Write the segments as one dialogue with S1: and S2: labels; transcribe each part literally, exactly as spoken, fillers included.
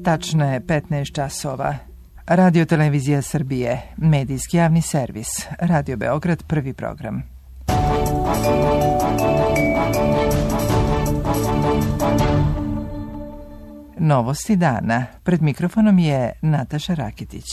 S1: Tačno je petnaest časova. Radio Televizija Srbije, medijski javni servis, Radio Beograd, prvi program. Novosti dana. Pred mikrofonom je Nataša Rakitić.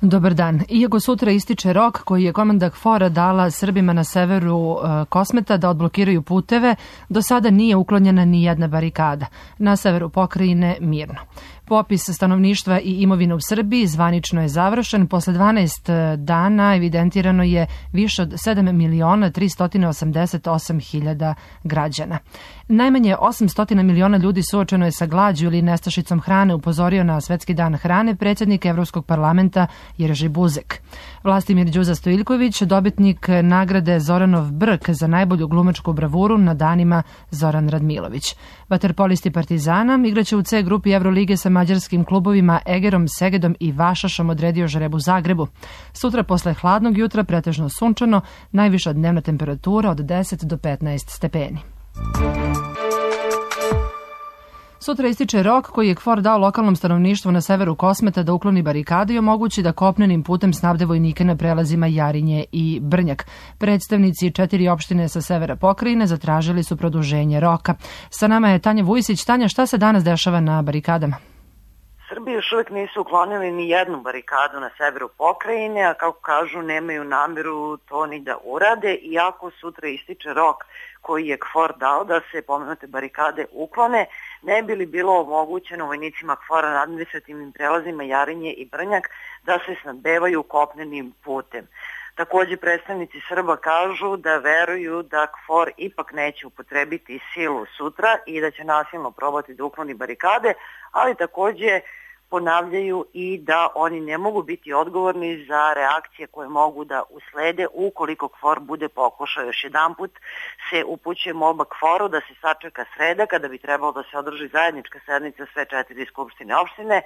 S2: Dobar dan. Iako sutra ističe rok koji je komanda KFOR-a dala Srbima na severu e, Kosmeta da odblokiraju puteve, do sada nije uklonjena ni jedna barikada. Na severu pokrajine mirno. Popis stanovništva i imovine u Srbiji zvanično je završen. Posle dvanaest dana evidentirano je više od sedam miliona tristo osamdeset osam hiljada građana. Najmanje osamsto miliona ljudi suočeno je sa glađu ili nestašicom hrane, upozorio na Svetski dan hrane predsjednik Evropskog parlamenta Jerzy Buzek. Vlastimir Đuza Stojiljković, dobitnik nagrade Zoranov Brk za najbolju glumačku bravuru na danima Zoran Radmilović. Vaterpolisti Partizana igraće u C grupi Evrolige sa mađarskim klubovima Egerom, Segedom i Vašašom odredio žreb u Zagrebu. Sutra posle hladnog jutra pretežno sunčano, najviša dnevna temperatura od deset do petnaest stepeni. Sutra ističe rok koji je KFOR dao lokalnom stanovništvu na severu Kosmeta da ukloni barikade i omogući da kopnenim putem snabde vojnike na prelazima Jarinje i Brnjak. Predstavnici četiri opštine sa severa pokrajine zatražili su produženje roka. Sa nama je Tanja Vujsić. Tanja, šta se danas dešava na barikadama?
S3: Srbi još uvijek nisu uklonili ni jednu barikadu na severu pokrajine, a kako kažu nemaju namjeru to ni da urade, iako sutra ističe rok koji je KFOR dao da se pomenute barikade uklone, ne bi li bilo omogućeno vojnicima KFOR-a na administrativnim prelazima Jarinje i Brnjak da se snabdevaju kopnenim putem. Također predstavnici Srba kažu da veruju da KFOR ipak neće upotrebiti silu sutra i da će nasilno probati da ukloni barikade, ali također ponavljaju i da oni ne mogu biti odgovorni za reakcije koje mogu da uslede ukoliko KFOR bude pokušao. Još jedan put se upućuje molba KFOR-u da se sačeka sreda kada bi trebalo da se održi zajednička sednica sve četiri skupštine opštine,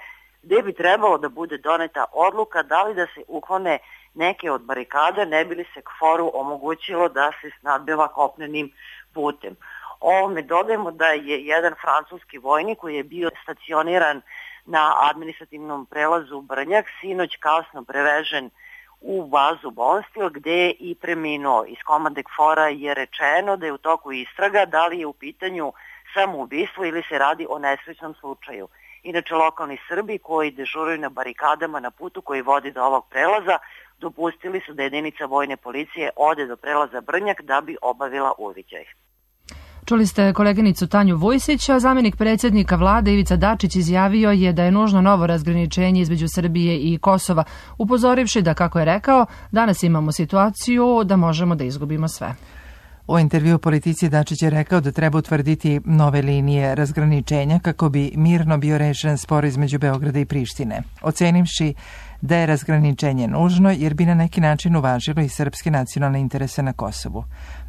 S3: gdje bi trebalo da bude doneta odluka da li da se uklone neke od barikada, ne bi li se KFOR-u omogućilo da se snabdeva kopnenim putem. Ovome dodajemo da je jedan francuski vojnik koji je bio stacioniran na administrativnom prelazu Brnjak sinoć kasno prevežen u bazu Bonstil gdje je i preminuo. Iz komande KFOR-a je rečeno da je u toku istraga da li je u pitanju samoubistvo ili se radi o nesrećnom slučaju. Inače, lokalni Srbi koji dežuraju na barikadama na putu koji vodi do ovog prelaza dopustili su da jedinica vojne policije ode do prelaza Brnjak da bi obavila uviđaj.
S2: Čuli ste koleginicu Tanju Vujsić, a zamjenik predsjednika vlade Ivica Dačić izjavio je da je nužno novo razgraničenje između Srbije i Kosova, upozorivši da, kako je rekao, danas imamo situaciju da možemo da izgubimo sve.
S1: U intervju Politici Dačić je rekao da treba utvrditi nove linije razgraničenja kako bi mirno bio rešen spor između Beograda i Prištine, ocenivši da je razgraničenje nužno jer bi na neki način uvažilo i srpske nacionalne interese na Kosovu.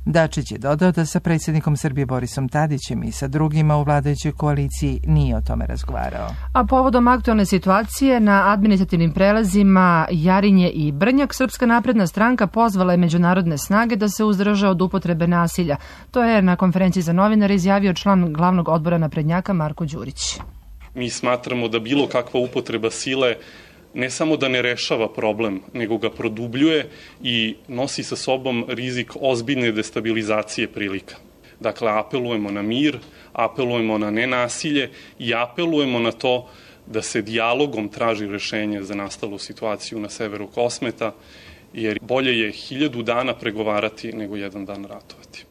S1: Dačić je dodao da sa predsjednikom Srbije Borisom Tadićem i sa drugima u vladajućoj koaliciji nije o tome razgovarao.
S2: A povodom aktualne situacije na administrativnim prelazima Jarinje i Brnjak, Srpska napredna stranka pozvala je međunarodne snage da se uzdrže od upotrebe nasilja. To je na konferenciji za novinare izjavio član glavnog odbora naprednjaka Marko Đurić.
S4: Mi smatramo da bilo kakva upotreba sile ne samo da ne rešava problem, nego ga produbljuje i nosi sa sobom rizik ozbiljne destabilizacije prilika. Dakle, apelujemo na mir, apelujemo na nenasilje i apelujemo na to da se dijalogom traži rešenje za nastalu situaciju na severu Kosmeta, jer bolje je hiljadu dana pregovarati nego jedan dan ratovati.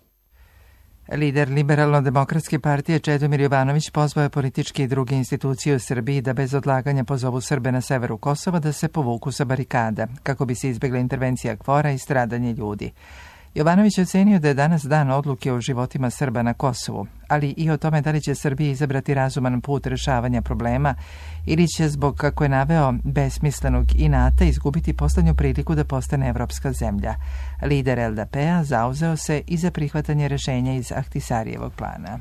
S1: Lider Liberalno-demokratske partije Čedomir Jovanović pozvao je političke i druge institucije u Srbiji da bez odlaganja pozovu Srbe na severu Kosova da se povuku sa barikada, kako bi se izbjegla intervencija KFOR-a i stradanje ljudi. Jovanović je ocenio da je danas dan odluke o životima Srba na Kosovu, ali i o tome da li će Srbija izabrati razuman put rešavanja problema ili će zbog, kako je naveo, besmislenog inata izgubiti poslednju priliku da postane evropska zemlja. Lider L D P-a zauzeo se i za prihvatanje rešenja iz Ahtisarijevog plana.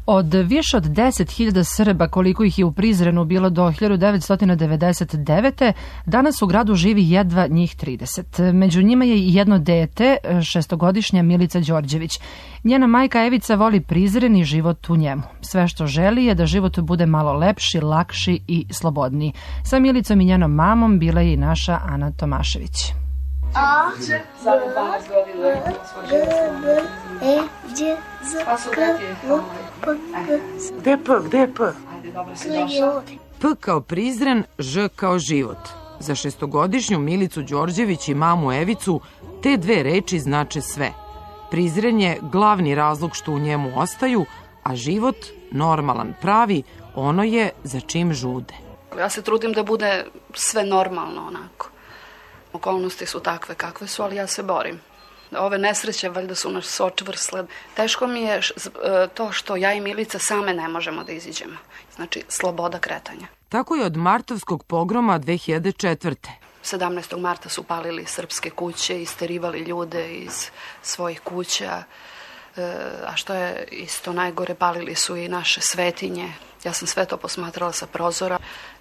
S2: Od više od deset hiljada Srba, koliko ih je u Prizrenu bilo do hiljadu devetsto devedeset devete. danas u gradu živi jedva njih trideset. Među njima je i jedno dete, šestogodišnja Milica Đorđević. Njena majka Evica voli Prizren i život u njemu. Sve što želi je da život bude malo lepši, lakši i slobodniji. Sa Milicom i njenom mamom bila je i naša Ana Tomašević.
S5: A, samo dvanaest godina je bilo E, Đ, Z, K, V, P, G.
S3: Gde je P, gde je P?
S5: Ajde, dobro si došla.
S1: P kao Prizren, Ž kao život. Za šestogodišnju Milicu Đorđević i mamu Evicu te dve reči znače sve. Prizren je glavni razlog što u njemu ostaju, a život, normalan, pravi, ono je za čim žude.
S6: Ja se trudim da bude sve normalno onako. Okolnosti su takve kakve su, ali ja se borim. Ove nesreće valjda su nas očvrsle. Teško mi je to što ja i Milica same ne možemo da iziđemo. Znači, sloboda kretanja.
S1: Tako je od martovskog pogroma dve hiljade četvrte.
S6: sedamnaestog marta su palili srpske kuće, isterivali ljude iz svojih kuća, a što je isto najgore, palili su i naše svetinje. Ja sam sve to posmatrala sa prozora.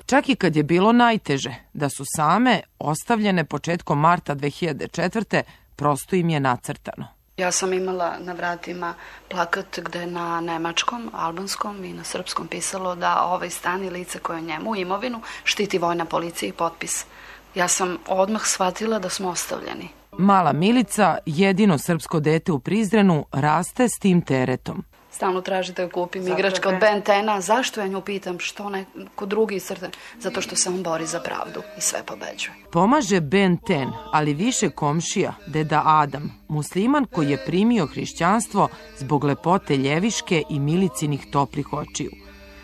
S1: Čak i kad je bilo najteže, da su same ostavljene početkom marta dve hiljade četvrte. prosto im je nacrtano.
S6: Ja sam imala na vratima plakat gde je na nemačkom, albanskom i na srpskom pisalo da ovaj stan i lice koje je njemu, imovinu, štiti vojna policija i potpis. Ja sam odmah shvatila da smo ostavljeni.
S1: Mala Milica, jedino srpsko dete u Prizrenu, raste s tim teretom.
S6: Stalno traži da joj kupim igračka od Ben Tena. Zašto ja nju pitam? Što neko drugi crte? Zato što se on bori za pravdu i sve pobeđuje.
S1: Pomaže Ben Ten, ali više komšija, deda Adam, musliman koji je primio hrišćanstvo zbog lepote Ljeviške i Milicinih toplih očiju.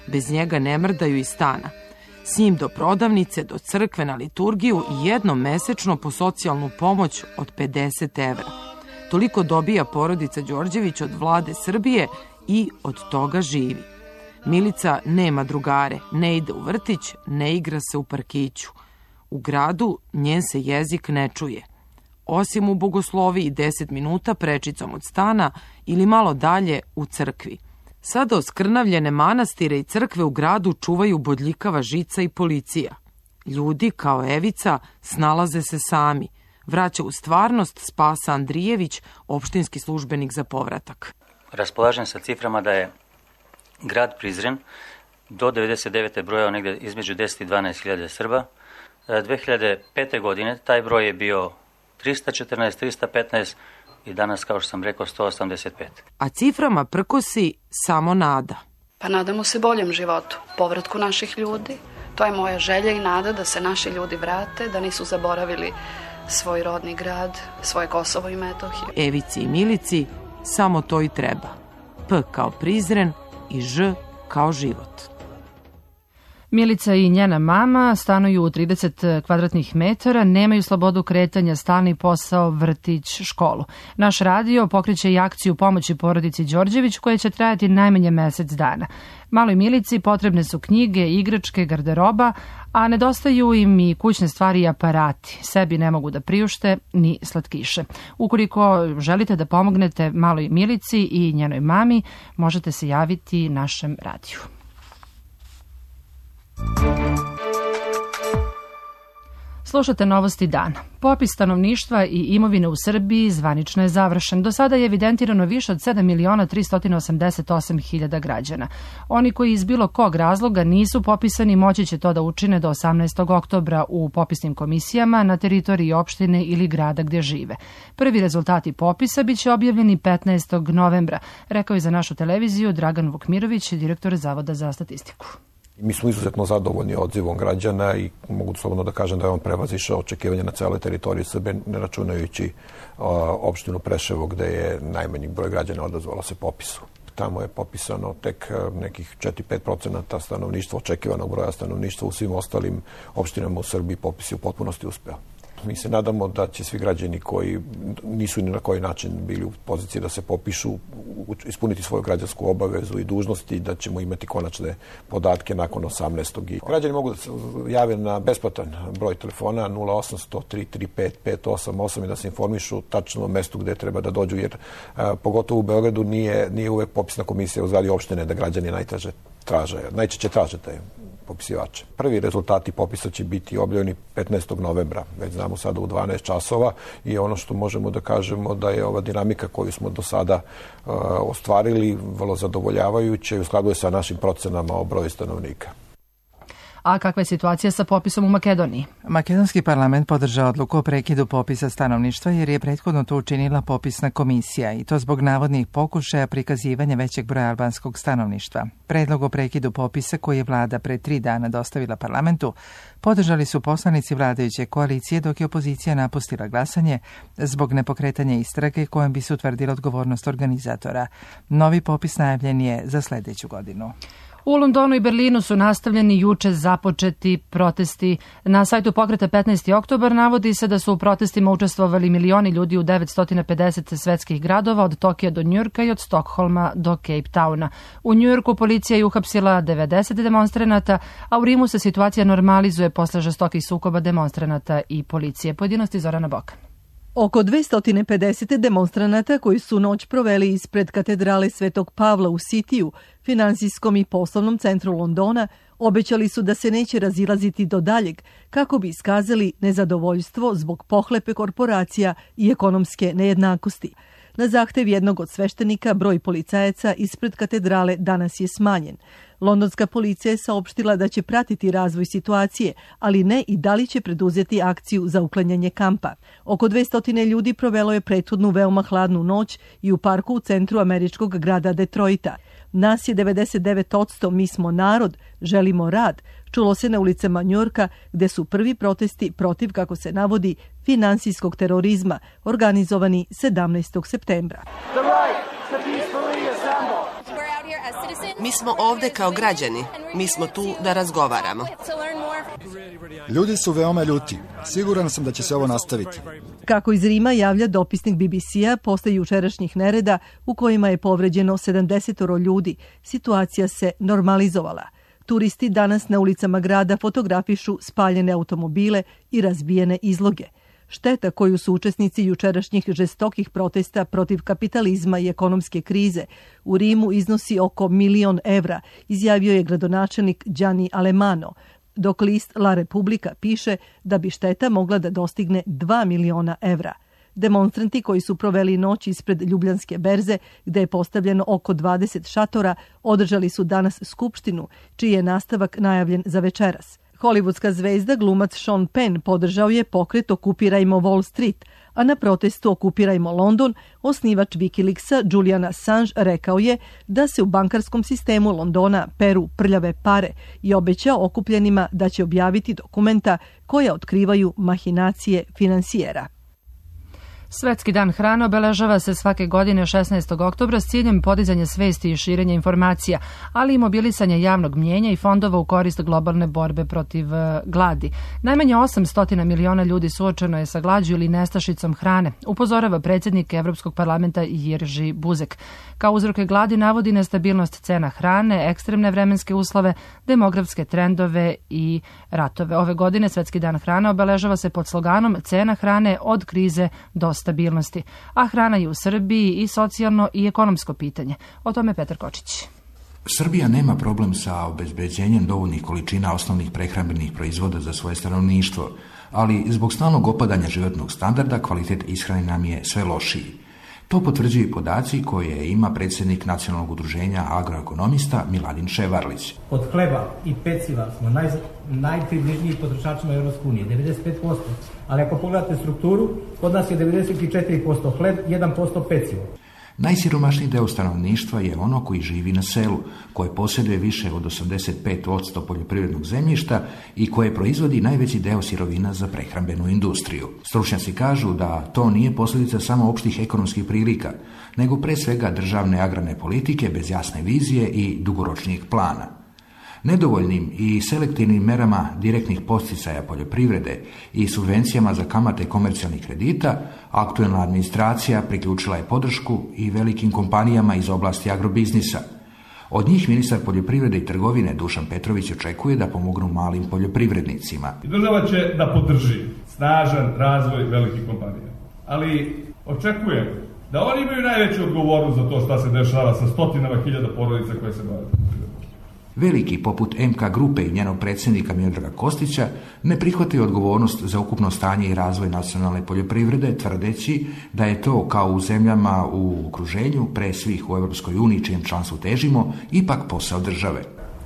S1: Bez njega ne mrdaju iz stana. S njim do prodavnice, do crkve, na liturgiju i jednom mesečno po socijalnu pomoć od pedeset evra. Toliko dobija porodica Đorđević od vlade Srbije i od toga živi. Milica nema drugare, ne ide u vrtić, ne igra se u parkiću. U gradu njen se jezik ne čuje. Osim u bogosloviji deset minuta prečicom od stana ili malo dalje u crkvi. Sada oskrnavljene manastire i crkve u gradu čuvaju bodljikava žica i policija. Ljudi, kao Evica, snalaze se sami. Vraća u stvarnost Spasa Andrijević, opštinski službenik za povratak.
S7: Raspolažem sa ciframa da je grad Prizren do devedeset devete brojao negde između deset i dvanaest hiljada Srba. dve hiljade pete godine taj broj je bio trista četrnaest, trista petnaest i danas, kao što sam rekao, sto osamdeset pet.
S1: A ciframa prkosi samo nada.
S6: Pa nadamo se boljem životu, povratku naših ljudi. To je moja želja i nada da se naši ljudi vrate, da nisu zaboravili svoj rodni grad, svoje Kosovo i Metohiju.
S1: Evici i Milici samo to i treba. P kao Prizren i Ž kao život.
S2: Milica i njena mama stanuju u trideset kvadratnih metara, nemaju slobodu kretanja, stalni posao, vrtić, školu. Naš radio pokreće i akciju pomoći porodici Đorđević koja će trajati najmanje mesec dana. Maloj Milici potrebne su knjige, igračke, garderoba, a nedostaju im i kućne stvari i aparati. Sebi ne mogu da priušte ni slatkiše. Ukoliko želite da pomognete maloj Milici i njenoj mami, možete se javiti našem radiju. Slušate Novosti dana. Popis stanovništva i imovine u Srbiji zvanično je završen. Do sada je evidentirano više od sedam miliona tristo osamdeset osam hiljada građana. Oni koji iz bilo kog razloga nisu popisani moći će to da učine do osamnaestog oktobra u popisnim komisijama na teritoriji opštine ili grada gdje žive. Prvi rezultati popisa biće objavljeni petnaestog novembra, rekao je za našu televiziju Dragan Vukmirović, direktor Zavoda za statistiku.
S8: Mi smo izuzetno zadovoljni odzivom građana i mogu slobodno da kažem da je on prevazišao očekivanja na celoj teritoriji Srbije, ne računajući opštinu Preševo gde je najmanji broj građana odazvalo se popisu. Tamo je popisano tek nekih četiri do pet procenata stanovništva, očekivanog broja stanovništva. U svim ostalim opštinama u Srbiji popis je u potpunosti uspeo. Mi se nadamo da će svi građani koji nisu ni na koji način bili u poziciji da se popišu, ispuniti svoju građansku obavezu i dužnosti i da ćemo imati konačne podatke nakon osamnaestog I građani mogu da se jave na besplatan broj telefona nula osam sto tri tri pet pet osam osam i da se informišu tačno o mestu gde treba da dođu, jer a, pogotovo u Beogradu nije, nije uvek popisna komisija u zgradi opštine da građani najteže traže, najčešće traže taj popisivače. Prvi rezultati popisa će biti objavljeni petnaestog novembra, već znamo sada u dvanaest časova i ono što možemo da kažemo da je ova dinamika koju smo do sada uh, ostvarili vrlo zadovoljavajuća i u skladu je sa našim procenama o broju stanovnika.
S2: A kakva je situacija sa popisom u Makedoniji?
S1: Makedonski parlament podržao odluku o prekidu popisa stanovništva jer je prethodno to učinila popisna komisija i to zbog navodnih pokušaja prikazivanja većeg broja albanskog stanovništva. Predlog o prekidu popisa koji je vlada pre tri dana dostavila parlamentu podržali su poslanici vladajuće koalicije dok je opozicija napustila glasanje zbog nepokretanja istrage kojom bi se utvrdila odgovornost organizatora. Novi popis najavljen je za sledeću godinu.
S2: U Londonu i Berlinu su nastavljeni juče započeti protesti. Na sajtu pokreta petnaesti oktobar navodi se da su u protestima učestvovali milioni ljudi u devetsto pedeset svetskih gradova od Tokija do Njujorka i od Stokholma do Cape Towna. U Njujorku policija je uhapsila devedeset demonstranata, a u Rimu se situacija normalizuje posle žestokih sukoba demonstranata i policije. Pojedinosti Zorana Bokan.
S9: Oko dvesta pedeset demonstranata koji su noć proveli ispred katedrale Svetog Pavla u Sitiju, finansijskom i poslovnom centru Londona, obećali su da se neće razilaziti do daljeg kako bi iskazali nezadovoljstvo zbog pohlepe korporacija i ekonomske nejednakosti. Na zahtev jednog od sveštenika broj policajaca ispred katedrale danas je smanjen. Londonska policija je saopštila da će pratiti razvoj situacije, ali ne i da li će preduzeti akciju za uklanjanje kampa. Oko dvesta ljudi provelo je prethodnu veoma hladnu noć i u parku u centru američkog grada Detroita. Nas je devedeset devet posto, mi smo narod, želimo rad, čulo se na ulicama Njujorka gde su prvi protesti protiv, kako se navodi, finansijskog terorizma organizovani sedamnaestog septembra.
S10: Mi smo ovde kao građani, mi smo tu da razgovaramo.
S11: Ljudi su veoma ljuti. Siguran sam da će se ovo nastaviti.
S9: Kako iz Rima javlja dopisnik B B C-a, posle jučerašnjih nereda u kojima je povređeno sedamdeset ljudi, situacija se normalizovala. Turisti danas na ulicama grada fotografišu spaljene automobile i razbijene izloge. Šteta koju su učesnici jučerašnjih žestokih protesta protiv kapitalizma i ekonomske krize u Rimu iznosi oko milion evra, izjavio je gradonačelnik Gianni Alemano, dok list La Repubblica piše da bi šteta mogla da dostigne dva miliona evra. Demonstranti koji su proveli noć ispred Ljubljanske berze, gde je postavljeno oko dvadeset šatora, održali su danas skupštinu, čiji je nastavak najavljen za večeras. Hollywoodska zvezda glumac Sean Penn podržao je pokret Okupirajmo Wall Street, a na protestu Okupirajmo London osnivač Wikileaksa Julian Assange rekao je da se u bankarskom sistemu Londona peru prljave pare i obećao okupljenima da će objaviti dokumenta koja otkrivaju mahinacije finansijera.
S2: Svetski dan hrane obeležava se svake godine šesnaestog oktobra s ciljem podizanja svesti i širenja informacija, ali i mobilisanja javnog mnjenja i fondova u korist globalne borbe protiv gladi. Najmanje osamsto miliona ljudi suočeno je sa glađu ili nestašicom hrane, upozorava predsjednik Evropskog parlamenta Jerzy Buzek. Kao uzroke gladi navodi nestabilnost cena hrane, ekstremne vremenske uslove, demografske trendove i ratove. Ove godine Svetski dan hrane obeležava se pod sloganom Cena hrane od krize do stabilnosti, a hrana je u Srbiji i socijalno i ekonomsko pitanje. O tome Petar Kočić.
S12: Srbija nema problem sa obezbeđenjem dovoljnih količina osnovnih prehrambenih proizvoda za svoje stanovništvo, ali zbog stalnog opadanja životnog standarda kvalitet ishrane nam je sve lošiji. To potvrđuju podaci koje ima predsjednik Nacionalnog udruženja agroekonomista Miladin Ševarlić.
S13: Od hleba i peciva smo naj, najpribližniji potrošačima Evropske unije, devedeset pet posto. Ali ako pogledate strukturu, kod nas je devedeset četiri posto hleb, jedan posto pecivo.
S12: Najsiromašniji deo stanovništva je ono koji živi na selu, koje posjeduje više od osamdeset pet posto poljoprivrednog zemljišta i koje proizvodi najveći deo sirovina za prehrambenu industriju. Stručnjaci kažu da to nije posljedica samo opštih ekonomskih prilika, nego pre svega državne agrarne politike bez jasne vizije i dugoročnijeg plana. Nedovoljnim i selektivnim merama direktnih podsticaja poljoprivrede i subvencijama za kamate komercijalnih kredita, aktuelna administracija priključila je podršku i velikim kompanijama iz oblasti agrobiznisa. Od njih ministar poljoprivrede i trgovine Dušan Petrović očekuje da pomognu malim poljoprivrednicima.
S14: Država će da podrži snažan razvoj velikih kompanija, ali očekujem da oni imaju najveću odgovornost za to šta se dešava sa stotinama hiljada porodica koje se bave.
S12: Veliki, poput M K grupe i njenog predsjednika Miodraga Kostića, ne prihvataju odgovornost za ukupno stanje i razvoj nacionalne poljoprivrede, tvrdeći da je to, kao u zemljama u okruženju, pre svih u Europskoj uniji, čijem članstvu težimo, ipak posao države.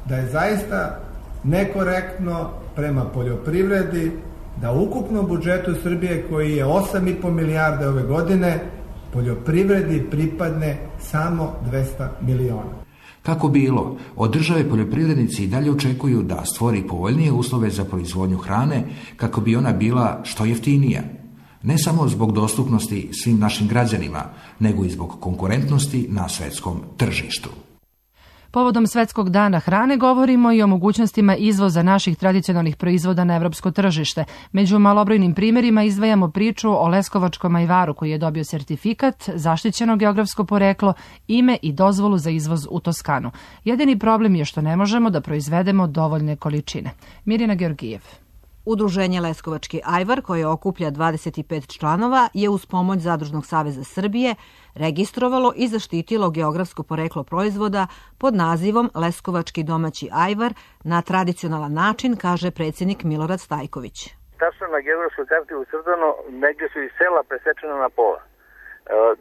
S15: Da je zaista nekorektno prema poljoprivredi da u ukupnom budžetu Srbije, koji je osam i po milijarde ove godine, poljoprivredi pripadne samo dvesta miliona.
S12: Kako bilo, od države poljoprivrednici i dalje očekuju da stvori povoljnije uslove za proizvodnju hrane kako bi ona bila što jeftinija. Ne samo zbog dostupnosti svim našim građanima, nego i zbog konkurentnosti na svetskom tržištu.
S2: Povodom Svetskog dana hrane govorimo i o mogućnostima izvoza naših tradicionalnih proizvoda na evropsko tržište. Među malobrojnim primjerima izdvajamo priču o leskovačkom ajvaru koji je dobio sertifikat, zaštićeno geografsko poreklo, ime i dozvolu za izvoz u Toskanu. Jedini problem je što ne možemo da proizvedemo dovoljne količine. Mirjana Georgijev.
S16: Udruženje Leskovački ajvar, koje okuplja dvadeset pet članova, je uz pomoć Zadružnog saveza Srbije registrovalo i zaštitilo geografsko poreklo proizvoda pod nazivom Leskovački domaći ajvar na tradicionalan način, kaže predsjednik Milorad Stajković.
S17: Tačno na geografskoj karti ucrtano, negdje su i sela presečena na pola.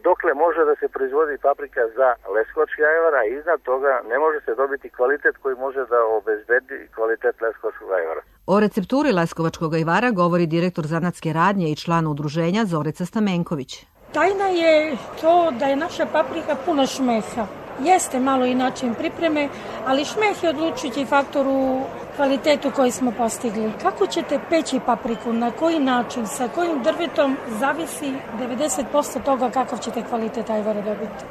S17: Dokle može da se proizvodi paprika za leskovački ajvar, a iznad toga ne može se dobiti kvalitet koji može da obezbedi kvalitet leskovačkog ajvara.
S16: O recepturi leskovačkog ajvara govori direktor zanatske radnje i član udruženja Zorica Stamenković.
S18: Tajna je to da je naša paprika puna šmeha. Jeste malo i način pripreme, ali šmeh je odlučujući faktor u kvalitetu koji smo postigli. Kako ćete peći papriku, na koji način, sa kojim drvetom, zavisi devedeset posto toga kakav ćete kvalitet ajvara dobiti.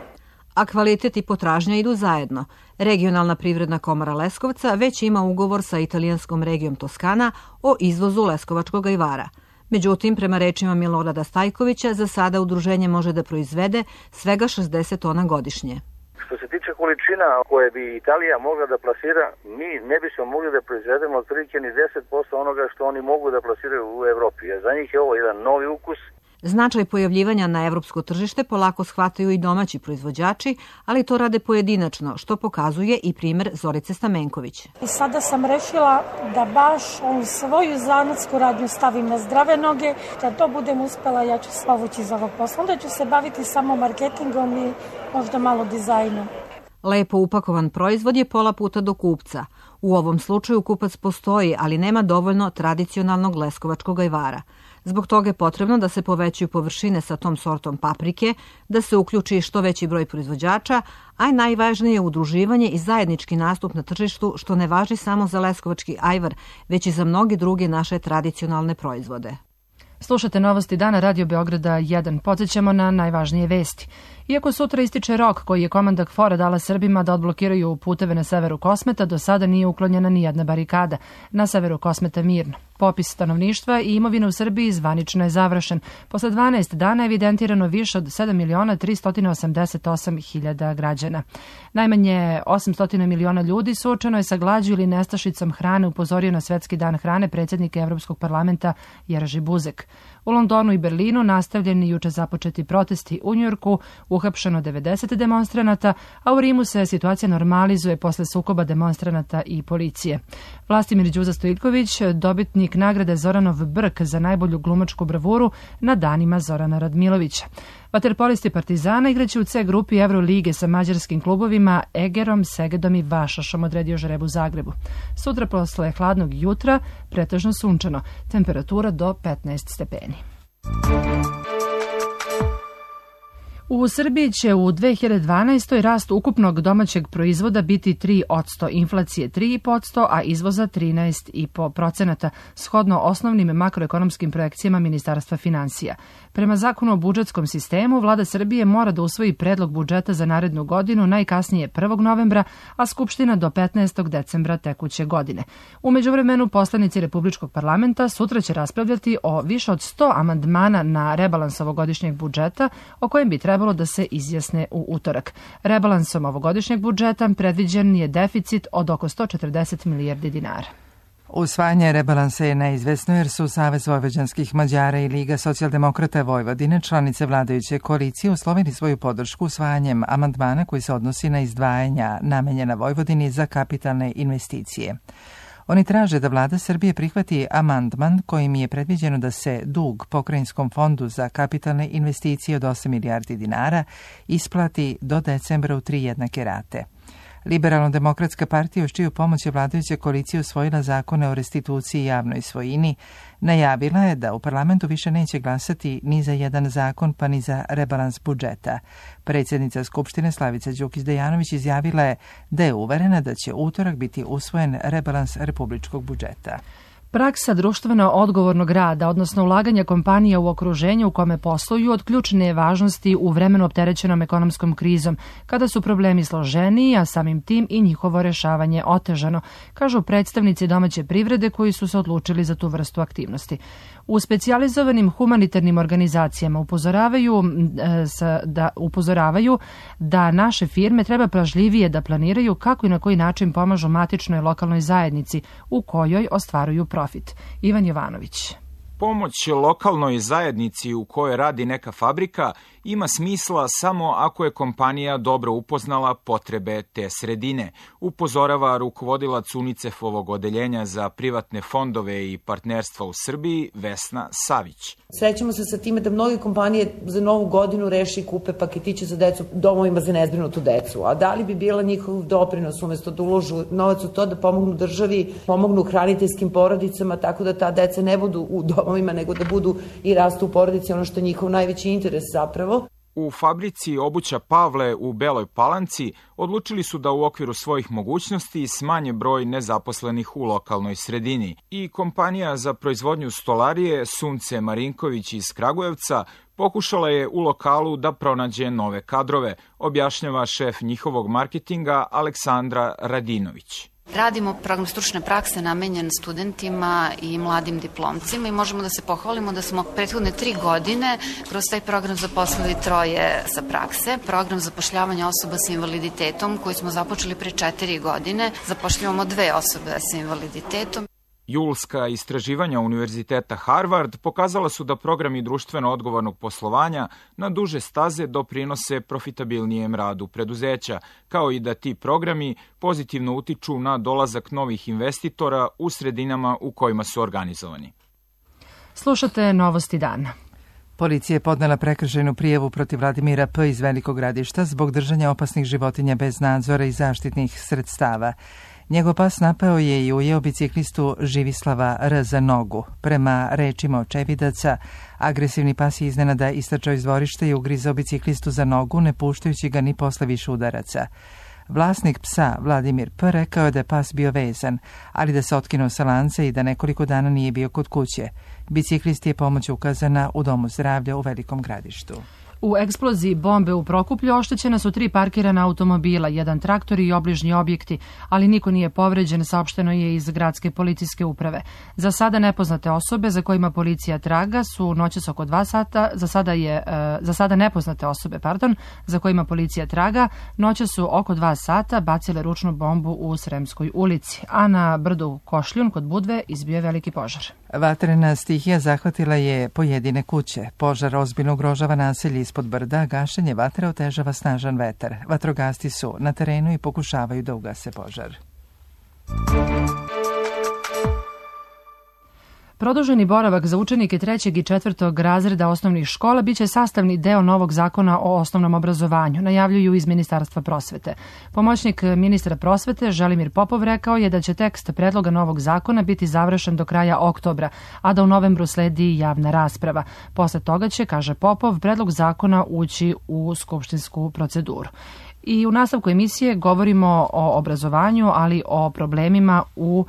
S16: A kvalitet i potražnja idu zajedno. Regionalna privredna komora Leskovca već ima ugovor sa italijanskom regijom Toskana o izvozu leskovačkog ajvara. Međutim, prema rečima Milorada Stajkovića, za sada udruženje može da proizvede svega šezdeset tona godišnje.
S17: Što se tiče količina koje bi Italija mogla da plasira, mi ne bismo mogli da proizvedemo otprilike ni deset posto onoga što oni mogu da plasiraju u Evropi. Za njih je ovo jedan novi ukus.
S16: Značaj pojavljivanja na evropsko tržište polako shvataju i domaći proizvođači, ali to rade pojedinačno, što pokazuje i primjer Zorice Stamenković.
S18: I sada sam rešila da baš on svoju zanatsku radnju stavim na zdrave noge. Kad to budem uspela, ja ću se povući iz ovog posla. Onda ću se baviti samo marketingom i možda malo dizajnom.
S16: Lepo upakovan proizvod je pola puta do kupca. U ovom slučaju kupac postoji, ali nema dovoljno tradicionalnog leskovačkog ajvara. Zbog toga je potrebno da se povećaju površine sa tom sortom paprike, da se uključi što veći broj proizvođača, a i najvažnije je udruživanje i zajednički nastup na tržištu, što ne važi samo za leskovački ajvar, već i za mnogi druge naše tradicionalne proizvode.
S2: Slušate Novosti dana Radio Beograda jedan. Podsjećamo na najvažnije vesti. Iako sutra ističe rok koji je komanda KFOR-a dala Srbima da odblokiraju puteve na severu Kosmeta, do sada nije uklonjena ni jedna barikada. Na severu Kosmeta mirno. Popis stanovništva i imovine u Srbiji zvanično je završen. Posle dvanaest dana je evidentirano više od sedam miliona tristo osamdeset osam hiljada građana. Najmanje osamsto miliona ljudi suočeno je sa glađu ili nestašicom hrane, upozorio na Svetski dan hrane predsjednik Evropskog parlamenta Jerzy Buzek. U Londonu i Berlinu nastavljeni juče započeti protesti, u Njujorku uhapšeno devedeset demonstranata, a u Rimu se situacija normalizuje posle sukoba demonstranata i policije. Vlastimir Đuza Stojiljković, dobitnik nagrade Zoranov Brk za najbolju glumačku bravuru na danima Zorana Radmilovića. Vaterpolisti Partizana igraće u C grupi Evrolige sa mađarskim klubovima Egerom, Segedom i Vašašom, odredio žreb u Zagrebu. Sutra posle hladnog jutra pretežno sunčano, temperatura do petnaest stepeni. U Srbiji će u dve hiljade dvanaestoj rast ukupnog domaćeg proizvoda biti tri posto, inflacije tri posto, a izvoza trinaest zarez pet posto, shodno osnovnim makroekonomskim projekcijama Ministarstva finansija. Prema zakonu o budžetskom sistemu, vlada Srbije mora da usvoji predlog budžeta za narednu godinu najkasnije prvog novembra, a Skupština do petnaestog decembra tekuće godine. U međuvremenu, poslanici Republičkog parlamenta sutra će raspravljati o više od sto amandmana na rebalans ovogodišnjeg budžeta, o kojem bi trebalo da se izjasne u utorak. Rebalansom ovogodišnjeg budžeta predviđen je deficit od oko sto četrdeset milijardi dinara.
S1: Usvajanje rebalansa je neizvesno jer su Savez vojvođanskih Mađara i Liga socijaldemokrata Vojvodine, članice vladajuće koalicije, uslovili svoju podršku usvajanjem amandmana koji se odnosi na izdvajanja namenjena Vojvodini za kapitalne investicije. Oni traže da vlada Srbije prihvati amandman kojim je predviđeno da se dug Pokrajinskom fondu za kapitalne investicije od osam milijardi dinara isplati do decembra u tri jednake rate. Liberalno-demokratska partija, uz čiju pomoć je vladajuća koalicija usvojila zakone o restituciji i javnoj svojini, najavila je da u parlamentu više neće glasati ni za jedan zakon pa ni za rebalans budžeta. Predsjednica Skupštine Slavica Đukić-Dejanović izjavila je da je uverena da će utorak biti usvojen rebalans republičkog budžeta.
S2: Praksa društveno odgovornog rada, odnosno ulaganja kompanija u okruženju u kome posluju, od ključne je važnosti u vremenu opterećenom ekonomskom krizom, kada su problemi složeniji, a samim tim i njihovo rešavanje otežano, kažu predstavnici domaće privrede koji su se odlučili za tu vrstu aktivnosti. U specijalizovanim humanitarnim organizacijama upozoravaju da, upozoravaju da naše firme treba pažljivije da planiraju kako i na koji način pomažu matičnoj lokalnoj zajednici u kojoj ostvaruju profit. Ivan Jovanović.
S19: Pomoć lokalnoj zajednici u kojoj radi neka fabrika ima smisla samo ako je kompanija dobro upoznala potrebe te sredine, upozorava rukovodilac UNICEF-ovog odeljenja za privatne fondove i partnerstva u Srbiji Vesna Savić.
S20: Srećemo se sa time da mnoge kompanije za novu godinu reši i kupe paketiće za decu domovima za nezbrinutu decu, a da li bi bila njihov doprinos umesto da uložu novac u to da pomognu državi, pomognu hraniteljskim porodicama tako da ta deca ne budu u domovima nego da budu i rastu u porodici, ono što je njihov najveći interes zapravo.
S19: U fabrici obuća Pavle u Beloj Palanci odlučili su da u okviru svojih mogućnosti smanje broj nezaposlenih u lokalnoj sredini i kompanija za proizvodnju stolarije Sunce Marinković iz Kragujevca pokušala je u lokalu da pronađe nove kadrove, objašnjava šef njihovog marketinga Aleksandra Radinović.
S21: Radimo program stručne prakse namenjen studentima i mladim diplomcima i možemo da se pohvalimo da smo prethodne tri godine kroz taj program zaposlili troje sa prakse. Program zapošljavanja osoba sa invaliditetom koji smo započeli pre četiri godine, zapošljavamo dve osobe sa invaliditetom.
S19: Julska istraživanja Univerziteta Harvard pokazala su da programi društveno odgovornog poslovanja na duže staze doprinose profitabilnijem radu preduzeća, kao i da ti programi pozitivno utiču na dolazak novih investitora u sredinama u kojima su organizovani.
S2: Slušate Novosti dana.
S1: Policija je podnela prekršajnu prijavu protiv Vladimira P. iz Velikog Gradišta zbog držanja opasnih životinja bez nadzora i zaštitnih sredstava. Njegov pas napao je i ujeo biciklistu Živislava R. za nogu. Prema rečima očevidaca, agresivni pas je iznenada istrčao iz dvorišta i ugrizao biciklistu za nogu, ne puštajući ga ni posle više udaraca. Vlasnik psa, Vladimir P., rekao je da je pas bio vezan, ali da se otkinuo sa lanca i da nekoliko dana nije bio kod kuće. Biciklisti je pomoć ukazana u Domu zdravlja u Velikom Gradištu.
S2: U eksploziji bombe u Prokuplju oštećena su tri parkirana automobila, jedan traktor i obližnji objekti, ali niko nije povređen, saopšteno je iz gradske policijske uprave. Za sada nepoznate osobe za kojima policija traga su noćas oko dva sata, za sada je za sada nepoznate osobe, pardon, za kojima policija traga, noćas su oko dva sata bacile ručnu bombu u Sremskoj ulici, a na brdu Košljun kod Budve izbio je veliki požar.
S1: Vatrena stihija zahvatila je pojedine kuće. Požar ozbiljno ugrožava naselje ispod brda, gašenje vatre otežava snažan vetar. Vatrogasci su na terenu i pokušavaju da ugase požar.
S2: Produženi boravak za učenike trećeg i četvrtog razreda osnovnih škola biće sastavni deo novog zakona o osnovnom obrazovanju, najavljuju iz Ministarstva prosvete. Pomoćnik ministra prosvete Želimir Popov rekao je da će tekst predloga novog zakona biti završen do kraja oktobra, a da u novembru sledi javna rasprava. Posle toga će, kaže Popov, predlog zakona ući u skupštinsku proceduru. I u nastavku emisije govorimo o obrazovanju, ali o problemima u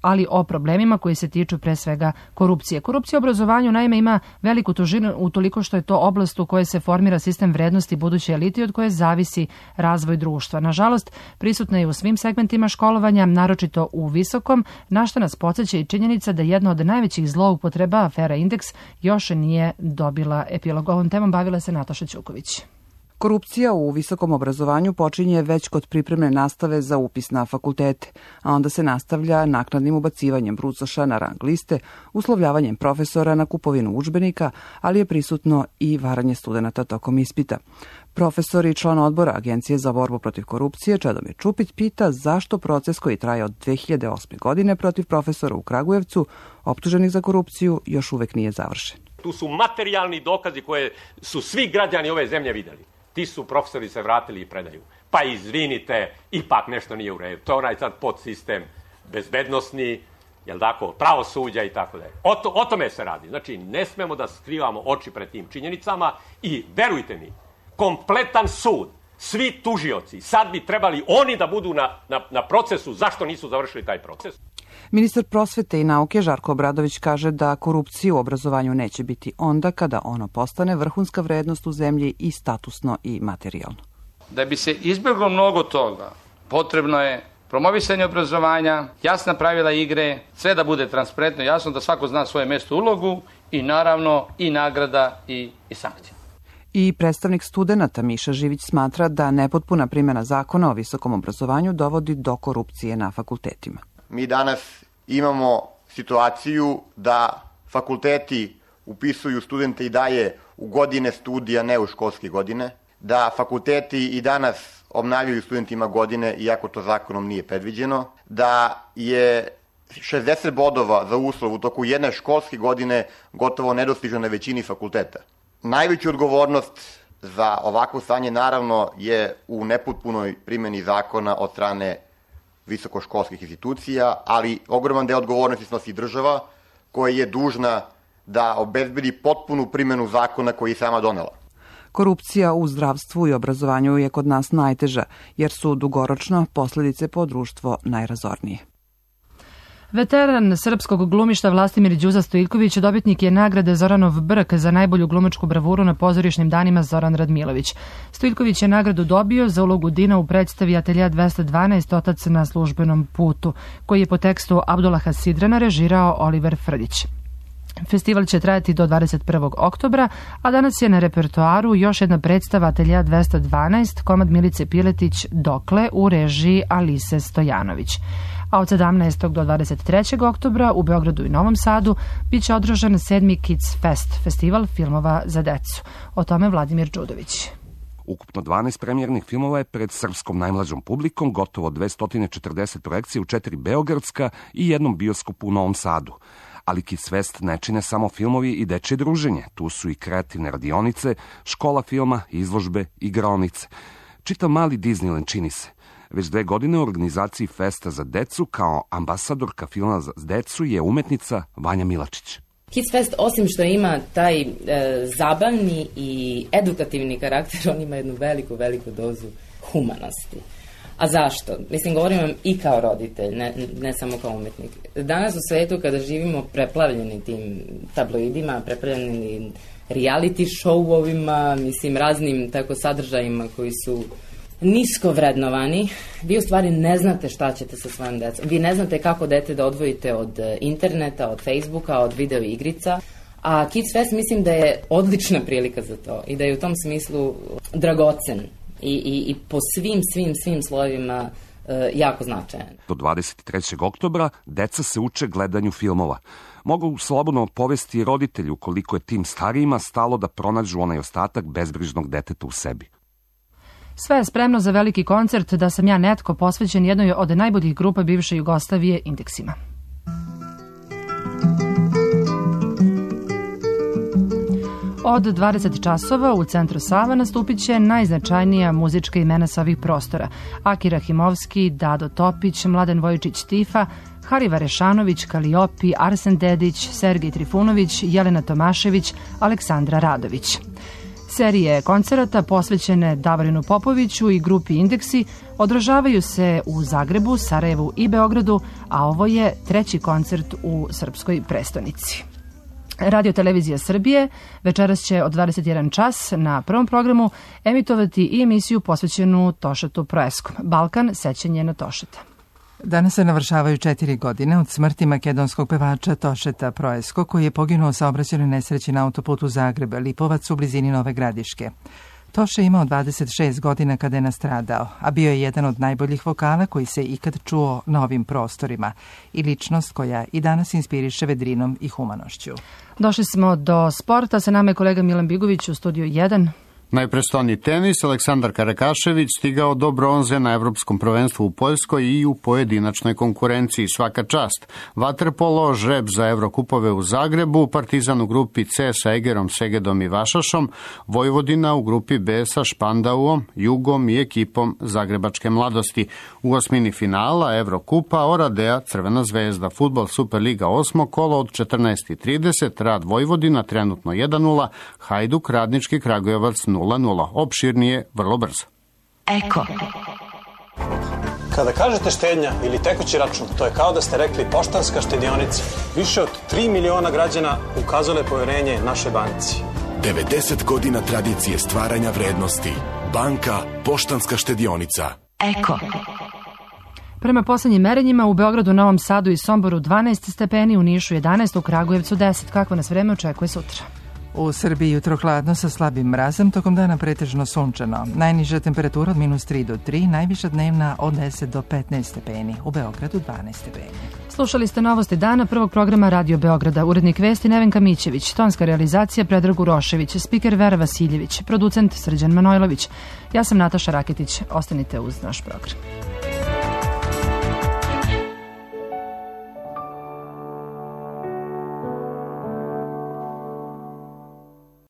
S2: ali o problemima koji se tiču pre svega korupcije. Korupcija u obrazovanju naime ima veliku težinu utoliko što je to oblast u kojoj se formira sistem vrednosti buduće elite od koje zavisi razvoj društva. Nažalost, prisutna je u svim segmentima školovanja, naročito u visokom, na što nas podsjeća i činjenica da jedna od najvećih zloupotreba, afera Indeks, još nije dobila epilog. Ovom temom bavila se Nataša Ćuković.
S4: Korupcija u visokom obrazovanju počinje već kod pripremne nastave za upis na fakultete, a onda se nastavlja naknadnim ubacivanjem brucoša na rang liste, uslovljavanjem profesora na kupovinu udžbenika, ali je prisutno i varanje studenata tokom ispita. Profesor i član odbora Agencije za borbu protiv korupcije Čedomir Čupit pita zašto proces koji traje od dve hiljade osme. godine protiv profesora u Kragujevcu, optuženih za korupciju, još uvek nije završen.
S22: Tu su materijalni dokazi koje su svi građani ove zemlje videli. Ti su profesori se vratili i predaju. Pa izvinite, ipak nešto nije u redu. To je onaj sad podsistem bezbednosni, jel tako, pravosuđa i tako dalje. O, to, o tome se radi. Znači, ne smemo da skrivamo oči pred tim činjenicama i verujte mi, kompletan sud, svi tužioci, sad bi trebali oni da budu na, na, na procesu, zašto nisu završili taj proces.
S4: Ministar prosvete i nauke Žarko Obradović kaže da korupcije u obrazovanju neće biti onda kada ono postane vrhunska vrednost u zemlji i statusno i materijalno.
S23: Da bi se izbjeglo mnogo toga, potrebno je promovisanje obrazovanja, jasna pravila igre, sve da bude transparentno, jasno da svako zna svoje mjesto, ulogu i naravno i nagrada i, i sankcija.
S4: I predstavnik studenata Miša Živić smatra da nepotpuna primjena zakona o visokom obrazovanju dovodi do korupcije na fakultetima.
S24: Mi danas imamo situaciju da fakulteti upisuju studente i daje u godine studija, ne u školske godine, da fakulteti i danas obnavljaju studentima godine, iako to zakonom nije predviđeno, da je šezdeset bodova za uslov u toku jedne školske godine gotovo nedostižno na većini fakulteta. Najveću odgovornost za ovakvo stanje naravno je u nepotpunoj primjeni zakona od strane visokoškolskih institucija, ali ogroman deo odgovornosti snosi država koja je dužna da obezbedi potpunu primjenu zakona koji je sama donela.
S4: Korupcija u zdravstvu i obrazovanju je kod nas najteža, jer su dugoročno posljedice po društvo najrazornije.
S2: Veteran srpskog glumišta Vlastimir Đuza Stojljković dobitnik je nagrade Zoranov Brk za najbolju glumačku bravuru na pozorišnim danima Zoran Radmilović. Stojljković je nagradu dobio za ulogu Dina u predstavi Atelja dvesta dvanaest Otac na službenom putu, koji je po tekstu Abdullaha Sidrana režirao Oliver Frljić. Festival će trajati do dvadeset prvog oktobra, a danas je na repertoaru još jedna predstava Atelja dvesta dvanaest, komad Milice Piletić Dokle u režiji Alise Stojanović. A od sedamnaestog do dvadeset trećeg oktobra u Beogradu i Novom Sadu bit će održan sedmi Kids Fest, festival filmova za decu. O tome Vladimir Đudović.
S25: Ukupno dvanaest premijernih filmova je pred srpskom najmlađom publikom, gotovo dvesta četrdeset projekcija u četiri beogradska i jednom bioskopu u Novom Sadu. Ali Kids Fest ne čine samo filmovi i dečje druženje. Tu su i kreativne radionice, škola filma, izložbe, igraonice. Čitav mali Disneyland čini se. Već dve godine u organizaciji Festa za decu kao ambasadorka filma za decu je umetnica Vanja Milačić.
S26: Kids Fest, osim što ima taj e, zabavni i edukativni karakter, on ima jednu veliku, veliku dozu humanosti. A zašto? Mislim, govorim vam i kao roditelj, ne, ne samo kao umetnik. Danas u svetu kada živimo preplavljeni tim tabloidima, preplavljeni reality show-ovima, mislim, raznim tako sadržajima koji su nisko vrednovani, vi u stvari ne znate šta ćete sa svojom decom. Vi ne znate kako dete da odvojite od interneta, od Facebooka, od video igrica. A Kids Fest mislim da je odlična prilika za to i da je u tom smislu dragocen i, i, i po svim, svim, svim slojevima e, jako značajan.
S25: Do dvadeset trećeg oktobra deca se uče gledanju filmova. Mogu slobodno povesti roditelju koliko je tim starijima stalo da pronađu onaj ostatak bezbrižnog deteta u sebi.
S2: Sve je spremno za veliki koncert Da sam ja netko, posvećen jednoj od najboljih grupa bivše Jugoslavije, Indeksima. Od dvadeset časova u centru Sava nastupit će najznačajnija muzička imena sa ovih prostora. Aki Rahimovski, Dado Topić, Mladen Vojčić Tifa, Hariva Rešanović, Kaliopi, Arsen Dedić, Sergej Trifunović, Jelena Tomašević, Aleksandra Radović. Serije koncerata posvećene Davorinu Popoviću i grupi Indeksi održavaju se u Zagrebu, Sarajevu i Beogradu, a ovo je treći koncert u srpskoj prestonici. Radio Televizija Srbije večeras će od dvadeset jedan čas na prvom programu emitovati i emisiju posvećenu Tošetu Proeskom. Balkan, sećanje na Tošeta.
S1: Danas se navršavaju četiri godine od smrti makedonskog pevača Tošeta Proesko, koji je poginuo u saobraćajnoj nesreći na autoputu Zagreb-Lipovac u blizini Nove Gradiške. Toše je imao dvadeset šest godina kada je nastradao, a bio je jedan od najboljih vokala koji se ikad čuo na ovim prostorima i ličnost koja i danas inspiriše vedrinom i humanošću.
S2: Došli smo do sporta, sa nama je kolega Milan Bigović u studiju jedan.
S3: Najprestoni tenis, Aleksandar Karakašević stigao do bronze na Evropskom prvenstvu u Poljskoj i u pojedinačnoj konkurenciji. Svaka čast. Vaterpolo, žreb za Evrokupove u Zagrebu, Partizan u grupi C sa Egerom, Segedom i Vašašom, Vojvodina u grupi B sa Špandauom, Jugom i ekipom Zagrebačke mladosti. U osmini finala Evrokupa Oradea, Crvena zvezda, Fudbal Superliga osmo kolo od četrnaest i trideset, Rad Vojvodina trenutno jedan nula, Hajduk Radnički Kragujevac nula nula. Opširnije vrlo brzo.
S5: Eko. Kada kažete štednja ili tekući račun, to je kao da ste rekli Poštanska štedionica. Više od tri miliona građana ukazale poverenje našoj banci.
S6: devedeset godina tradicije stvaranja vrednosti. Banka Poštanska štedionica.
S5: Eko.
S2: Prema poslednjim merenjima u Beogradu, Novom Sadu i Somboru dvanaest stepeni, u Nišu jedanaest, u Kragujevcu deset. Kakvo nas vreme očekuje sutra?
S1: U Srbiji jutro hladno sa slabim mrazom, tokom dana pretežno sunčano. Najniža temperatura od minus tri do tri, najviša dnevna od deset do petnaest stepeni. U Beogradu dvanaest stepeni.
S2: Slušali ste novosti dana prvog programa Radio Beograda. Urednik vesti Nevenka Mićević, tonska realizacija Predrag Urošević, spiker Vera Vasiljević, producent Srđan Manojlović. Ja sam Nataša Raketić. Ostanite uz naš program.